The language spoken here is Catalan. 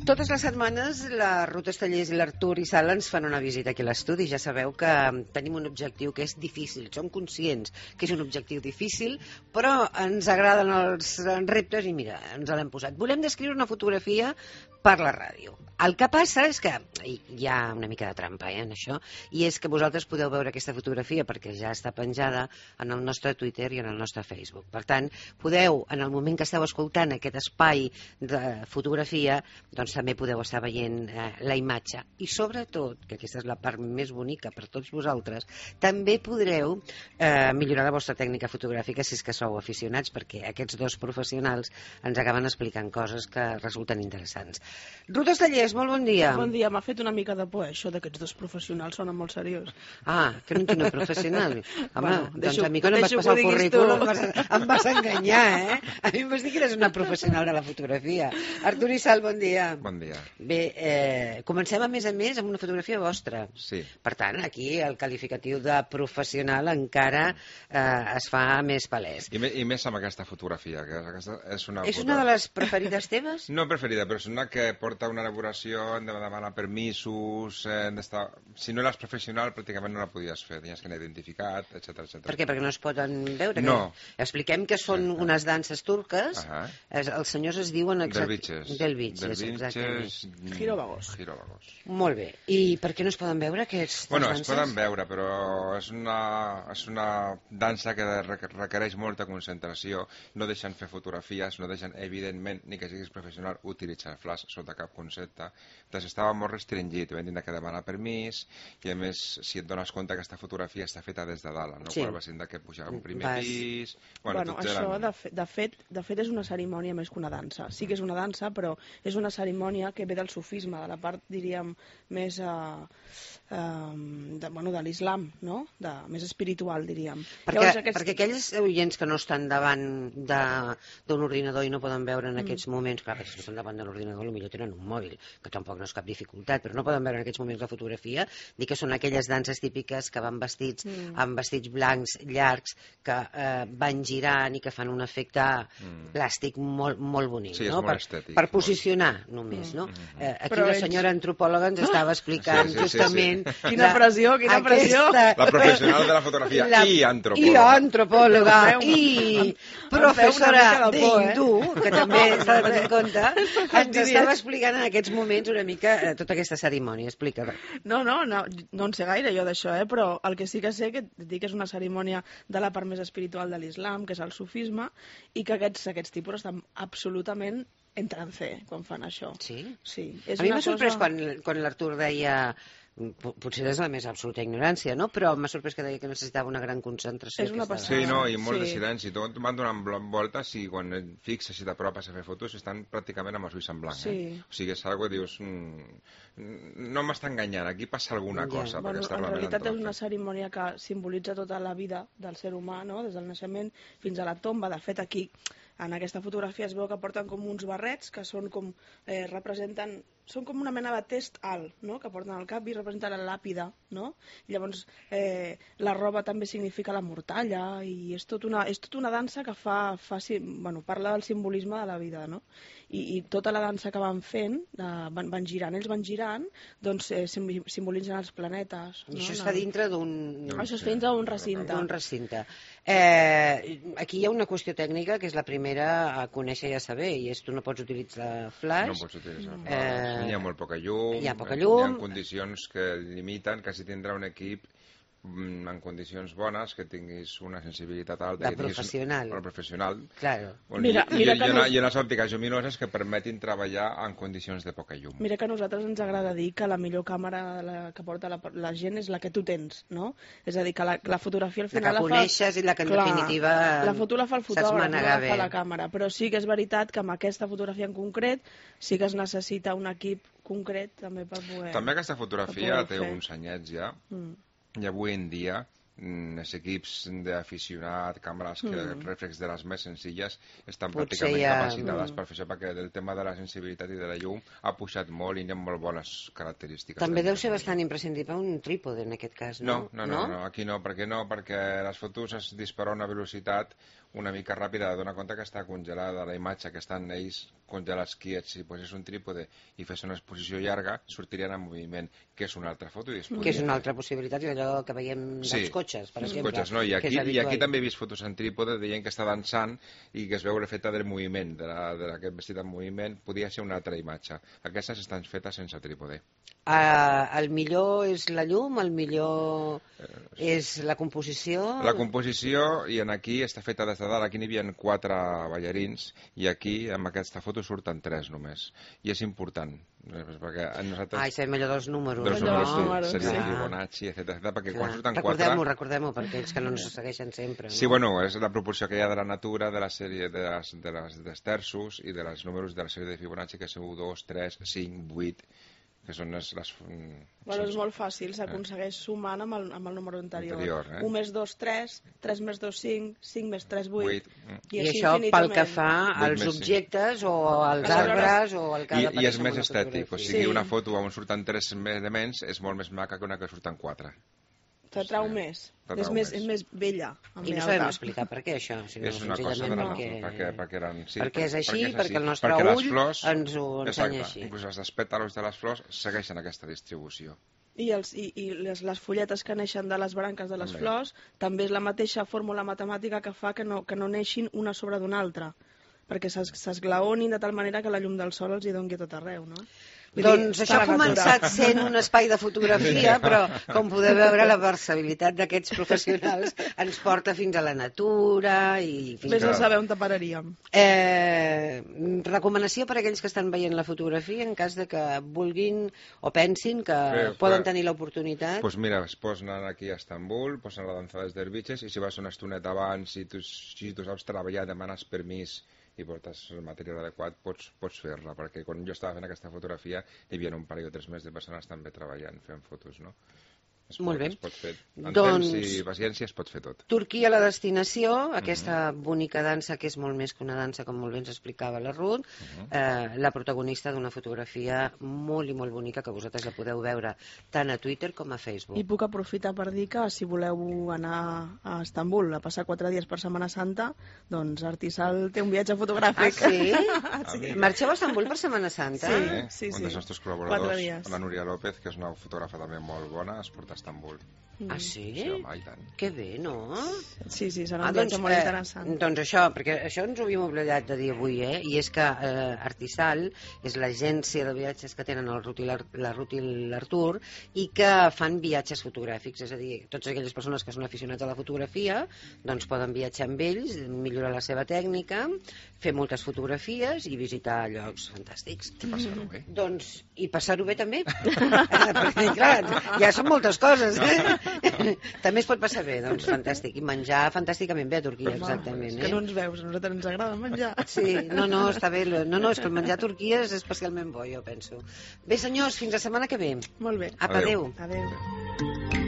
Totes les setmanes la Ruth Estellés i l'Artur i Sala ens fan una visita aquí a l'estudi. Ja sabeu que tenim un objectiu que és difícil. Som conscients que és un objectiu difícil, però ens agraden els reptes i mira, ens l'hem posat. Volem descriure una fotografia per la ràdio. El que passa és que hi ha una mica de trampa en això, i és que vosaltres podeu veure aquesta fotografia perquè ja està penjada en el nostre Twitter i en el nostre Facebook. Per tant, podeu, en el moment que esteu escoltant aquest espai de fotografia, doncs també podeu estar veient la imatge. I sobretot, que aquesta és la part més bonica per tots vosaltres, també podreu millorar la vostra tècnica fotogràfica si és que sou aficionats, perquè aquests dos professionals ens acaben explicant coses que resulten interessants. Ruth Estellés, molt bon dia. Bon dia, m'ha fet una mica de por, això d'aquests dos professionals, sona molt seriós. Ah, que no tinc un professional. Home, Bueno, doncs a mi quan em vas passar el currículum em vas enganyar, eh? A mi em vas dir que eres una professional de la fotografia. Artur i Sal, bon dia. Bon dia. Bé, comencem a més amb una fotografia vostra. Sí. Per tant, aquí el qualificatiu de professional encara es fa més palès. I més amb aquesta fotografia, que aquesta és una És una de les preferides teves? No preferida, però és una que porta una elaboració, hem de demanar permisos, si no eres professional pràcticament no la podies fer, tenies que anar identificat, etc. Per què? Perquè no es poden veure? No. Expliquem que són unes danses turques. Els senyors es diuen... Delvitxes. Delvitxes, exactament. Girovagos. Molt bé. I per què no es poden veure aquestes Bueno, danses? es poden veure, però és una dansa que requereix molta concentració, no deixen fer fotografies, no deixen, evidentment, ni que siguis professional, utilitzar flash sota cap concepte. Doncs estava molt restringit, vam dir que demanar permís, i a més, si et dones compte que aquesta fotografia està feta des de dalt, no? Sí. Quan vas de que pujar a un primer pis... Bueno, això, de fet, és una cerimònia més que una dansa. Sí que és una dansa, però és una cerimònia que ve del sufisme, de la part, diríem, més de l'islam, no? Més espiritual, diríem. Perquè aquells oients que no estan davant d'un ordinador i no poden veure en aquests moments, clar, perquè si no estan davant de l'ordinador potser tenen un mòbil, que tampoc no és cap dificultat, però no poden veure en aquests moments la fotografia, dir que són aquelles danses típiques que van vestits amb vestits blancs llargs, que van girant i que fan un efecte plàstic molt bonic, sí, no? És molt estètic. Per posicionar només, no? Aquí la senyora antropòloga ens estava explicant justament... Quina pressió! La professional de la fotografia i antropòloga i professora d'hindú, que també s'ha de tenir en compte, ens estava explicant en aquests moments una mica tota aquesta cerimònia. Explica. No en sé gaire jo d'això, però el que sí que sé que dic que és una cerimònia de la part més espiritual de l'islam, que és el sufisme, i que aquests tipus estan absolutament en trance quan fan això. Sí? Sí. A mi m'ha sorprès quan l'Artur deia... Potser és la més absoluta ignorància, no? Però m'ha sorprès que deia que necessitava una gran concentració. És una passada. Sí, no, i molt de silenci. Tot van donant voltes i quan et fixes i t'apropes a fer fotos estan pràcticament amb els ulls en blanc. O sigui, és algo que dius... No m'està enganyant, aquí passa alguna cosa. En realitat és una cerimònia que simbolitza tota la vida del ser humà, no? Des del naixement fins a la tomba. De fet, aquí, en aquesta fotografia es veu que porten com uns barrets que són com... representen... Són com una mena de test alt, no?, que porten al cap i representen la làpida, no? I llavors la roba també significa la mortalla i és tot una dansa que parla del simbolisme de la vida, no? I tota la dansa que van fent, van girant, doncs simbolitzen els planetes. I això està dintre d'un... Això és dintre d'un recinte. D'un recinte. Aquí hi ha una qüestió tècnica que és la primera a conèixer i a saber, i és tu no pots utilitzar flash. No pots utilitzar flash. Hi ha molt poca llum. Hi ha poca llum. Hi ha condicions que limiten, quasi tindrà un equip en condicions bones, que tinguis una sensibilitat alta. De professional. Professional. Claro. I unes òptiques lluminoses que permetin treballar en condicions de poca llum. Mira que a nosaltres ens agrada dir que la millor càmera que porta la gent és la que tu tens, no? És a dir, que la fotografia al final la que coneixes i la que en definitiva la foto la fa el fotògraf, no la fa la càmera. Però sí que és veritat que amb aquesta fotografia en concret sí que es necessita un equip concret també per poder... També aquesta fotografia té uns anyets ja. I avui en dia els equips d'aficionat, càmeres reflex de les més senzilles estan pràcticament capacitades per fer això, perquè el tema de la sensibilitat i de la llum ha pujat molt i hi ha molt bones característiques. També deu ser bastant imprescindible un trípode en aquest cas, no? No, aquí no, perquè les fotos es dispara a una velocitat una mica ràpida de donar compte que està congelada la imatge, que estan ells congelats quiets. Si posés un trípode i fes una exposició llarga, sortirien en moviment, que és una altra foto. Que és una altra possibilitat, és allò que veiem dels cotxes, per exemple. Cotxes, no? I aquí també he vist fotos en trípode de gent que està dansant i que es veu l'efecte del moviment, d'aquest vestit en moviment. Podria ser una altra imatge. Aquestes estan fetes sense trípode. El millor és la llum, el millor és la composició... La composició, i aquí està feta des de dalt. Aquí n'hi havia 4 ballarins i aquí, amb aquesta foto, surten 3 només. I és important, perquè nosaltres... sabem allò dels números. Dels números, seria Fibonacci, etc. Perquè quan surten 4... Recordem-ho, perquè ells que no ens segueixen sempre. Sí, bueno, és la proporció que hi ha de la natura, de la sèrie dels terços i dels números de la sèrie de Fibonacci, que són 1, 2, 3, 5, 8... que són les... Bueno, és molt fàcil, s'aconsegueix sumant amb el número anterior. 1 més 2, 3, 3 més 2, 5, 5 més 3, 8... I això pel que fa als objectes o als arbres o al que ha d'aparèixer. I és més estètic, o sigui, una foto on surten 3 elements és molt més maca que una que surten 4. T'atrau més, és més vella. I no sabem explicar per què això. És una cosa de la natura, perquè eren... Perquè és així, perquè el nostre ull ens ho ensenya així. Inclús els pètals de les flors segueixen aquesta distribució. I les fulletes que neixen de les branques de les flors també és la mateixa fórmula matemàtica que fa que no neixin una sobre d'una altra, perquè s'esglaonin de tal manera que la llum del sol els hi doni tot arreu, no? Doncs això ha començat sent un espai de fotografia, però com podeu veure la versatilitat d'aquests professionals ens porta fins a la natura i... Vés a saber on te pararíem. Recomanació per a aquells que estan veient la fotografia en cas de que vulguin o pensin que poden tenir l'oportunitat. Doncs mira, es posen aquí a Estambul, posen la dansa dels dervitxes i si vas una estoneta abans i tu saps treballar, demanes permís i portes el material adequat, pots fer-la, perquè quan jo estava fent aquesta fotografia hi havia un parell o 3 mesos de persones també treballant, fent fotos, no? Molt bé. Es pot fer. En temps i paciència es pot fer tot. Turquia, la destinació, aquesta bonica dansa que és molt més que una dansa, com molt bé ens explicava la Ruth, la protagonista d'una fotografia molt i molt bonica que vosaltres la podeu veure tant a Twitter com a Facebook. I puc aprofitar per dir que si voleu anar a Estambul a passar 4 dies per Setmana Santa, doncs Artisal té un viatge fotogràfic. Ah, sí? Marxeu a Estambul per Setmana Santa? Sí. Un dels nostres col·laboradors, la Núria López, que és una fotògrafa també molt bona, es porta a Estambul. Ah, sí? Sí, home, i tant. Que bé, no? Sí, serà un viatge molt interessant. Doncs això, perquè això ens ho havíem oblidat de dir avui, i és que Artisal és l'agència de viatges que tenen la Ruth i l'Artur i que fan viatges fotogràfics, és a dir, totes aquelles persones que són aficionats a la fotografia doncs poden viatjar amb ells, millorar la seva tècnica, fer moltes fotografies i visitar llocs fantàstics. I passar-ho bé. Doncs, i passar-ho bé també. Perquè, clar, ja són moltes coses, També es pot passar bé, doncs fantàstic. I menjar fantàsticament bé a Turquia, exactament. Que no ens veus, a nosaltres ens agrada menjar. Sí, no, està bé. No, és que el menjar a Turquia és especialment bo, jo penso. Bé, senyors, fins la setmana que ve. Molt bé. Apa, adéu. Adéu.